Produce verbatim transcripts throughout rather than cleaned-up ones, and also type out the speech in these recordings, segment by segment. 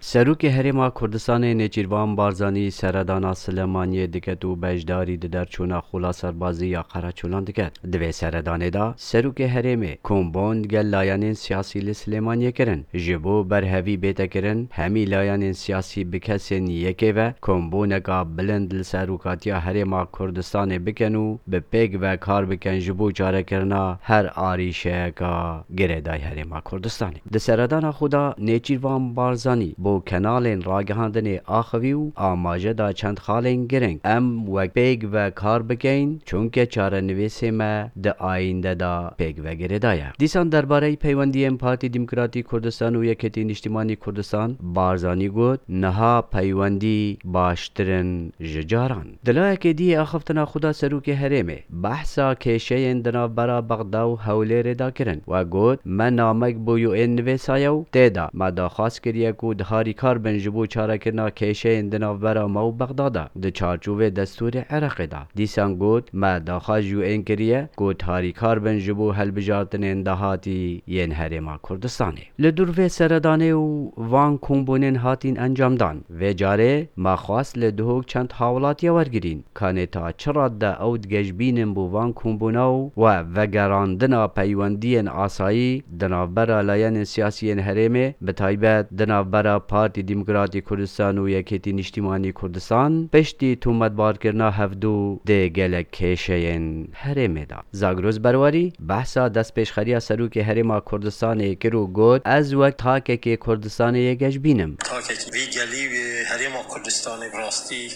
Serokê Herêma Kurdistanê Nêçîrvan Barzanî seredana Silêmaniyê diket û beşdarî di derçûna Xola Serbazî ya Qereçolan diket. Di vê seredanê de Serokê Herêmê kombûn digel layenên siyasî li Silêmaniyê kirin. Ji bo berhevî bête kirin, hemî layenên siyasî bi kesên yekê ve kombûneka bilind li serokatiya Herêma Kurdistanê bikin û bi pêk ve kar bikin ji bo çarekirina her arîşeyeka girêdayî Herêma Kurdistanê. Di seredana xwe de Nêçîrvan Barzanî bo kenalên ragihandinê axivî û amaje da çend xalên girîng. Em wek pêk ve kar bikeyn, çunke çarenivîsê me di ayînde de pêk ve girêdaye. Dîsan derbareyî peywendiyên Partî Demokratîk Kurdistan û Yekêtî Niştimanî Kurdistan, Barzanî got, niha peywendî baştir in ji caran. Di layekê dî axiftina xwe de Serokê Herêmê behsa kêşeyên di navbera Bexda û Hewlêrê de kirin. We got, me namek bo U N nivêsaye û tê de me daxwaz kiriye ku di harîkar bin ji bo çarekirina kêşeyên di navbera me û Bexda de di çarçovê destûrê Iraqê de. Dîsan got, me daxwaz ji U N kiriye ku di harîkar bin ji bo hilbijartinên dahatî yên Herêma Kurdistanê. Li dûr vê seredanê û van kombûnên hatîn encamdan, vê carê me xwest li Duhok çend hawilatiya wergirîn, kanê ta çi rad de ew digejbînin bo van kombûna û we vegerandina peywendiyên asayî di navbera layenên siyasî yên herêmê, bi taybet di navbera Partî Demokratîk Kurdistan û Yekêtî Niştimanî Kurdistan, piştî tometbarkirina hevdû di gelek kêşeyên herêmê de. Zagros Berwarî behsa destpêşxeriya Serokê Herêma Kurdistanê kir û got, ez wek takekê Kurdistanê yê geşbîn im. Takekî vî gelî wê Herêma Kurdistanê bi rastî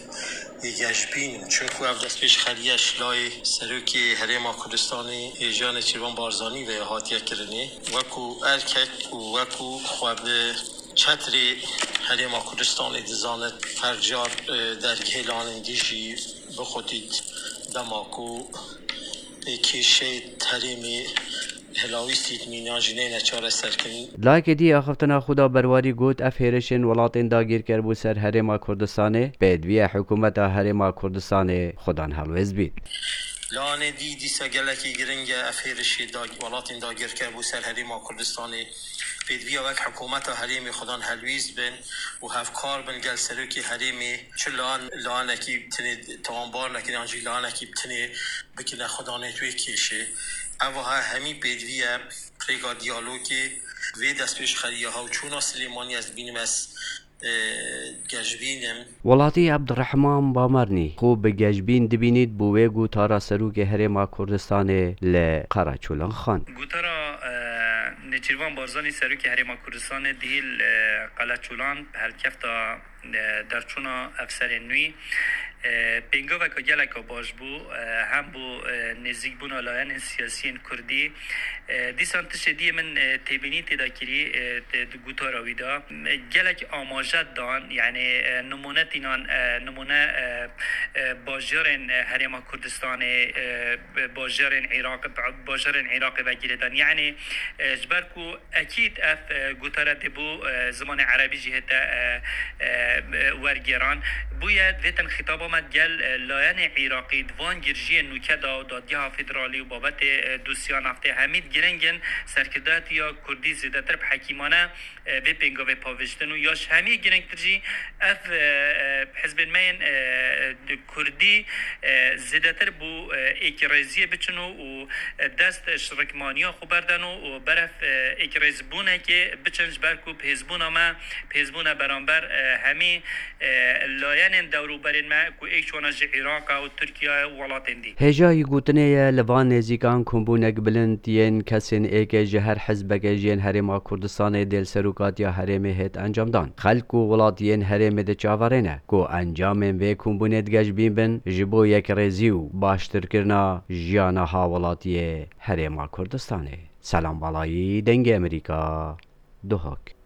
yê geşbîn im. Çunku ev destpêşxeriya ji layê Serokê Herêma Kurdistanê Hêja Nêçîrvan Barzanî ve hatiye kirinê. Wekû erkek û wekû xwe bi çetrê Herêma Kurdistanê dizanit, her car, e, dergihê lanên dijî bixutît dema ku, e, kêşeyê herêmê hilawîstît mîna jî neyne çareserkirin. Layekê dî axiftina xwe de Berwarî got, ev hêrişên welatên dagîrker bo ser Herêma Kurdistanê, pêdiviya hikûmeta Herêma Kurdistanê xwedan helwêst bît. Lanê dî dîsa gelekî giring e, ev hêrişê dag-, welatên dagîrker bo ser Herêma Kurdistanê pêdiviya wek hikûmeta herêmê xwedan helwîst bin û hevkar bin gel serokê herêmê, çi lan-, lanekî bi tinê tawanbar nekin yan jî lanekî bi tinê bikine xwedanê wê kêşê. Ev wiha hemî pêdiviye rêka diyalogê. Vê destpêşxeriya hewçûna Silêmaniyê ez dibînim ez, e, geşbîn im. Welatî Abdurrahman Bamernî xwe bi geşbîn dibînît bo wê gotara Serokê Herêma Kurdistanê li Qereçolan xwend. Gotara, e, Nêçîrvan Barzanî Serokê Herêma Kurdistanê dihîl, e, Qeleçolan bi helkefta, e, derçûna ev serê nû, e, pêngaveka geleka baş bû, e, hem bo, e, nêzîkbûna layenên siyasiyên Kurdî, e, dîsan tiştê dî min, e, têbînî tê de kirî, e, te-, di gotara wî de, e, gelek amaje dan, yanî, e, nimûne tînan, e, nimûne, e, e, bajarên, e, Herêma Kurdistanê, e, bajarên Iraq, bajarên Iraqê ve girêdan. Yanî, e, ji ber ku ekîd ev, e, gotara dê bo, e, zimanê erebî jî hête, e, e, e, wergêran. Bûye vê tin xîtaba me gel, e, layenê Iraqî di van girjiyên nûke de û dadgeha federalî û babetê, e, dosya naftê hemî giring in, serkirdatiya Kurdî zêdetir bi hekîmane, e, vê pêngavê pavêjtin û ya ji hemî girîngtir jî ev, e, e, hizbên me yên, e, Kurdî, e, zêdetir bo, e, êkîrêziyê biçin û, û, e, dest ji rikmaniya xwe berdin û, û berev, e, êkîrêzbûnekê biçin, ji ber ku bi hêzbûna me, bi hêzbûna beramber, e, hemî, e, layenên dewrûberên me ku êk ji wana ji Iraq e û Tirkiye û welatên dî. Hêjayî gotinê ye, li van nêzîkan kombûnek bilind yên kesên êkê ji her hizbeke ji yên Herêma Kurdistanê dê li serokatiya herêmê hêt encamdan. Xelk û welatiyên herêmê diçaverêne ku encamên vê kombûnê digeşbîn bin, ji bo yekrêzî û baştirkirina jiyana hawelatiyê Herêma Kurdistanê. Selam Balayî, Dengê Amerîka, Duhok.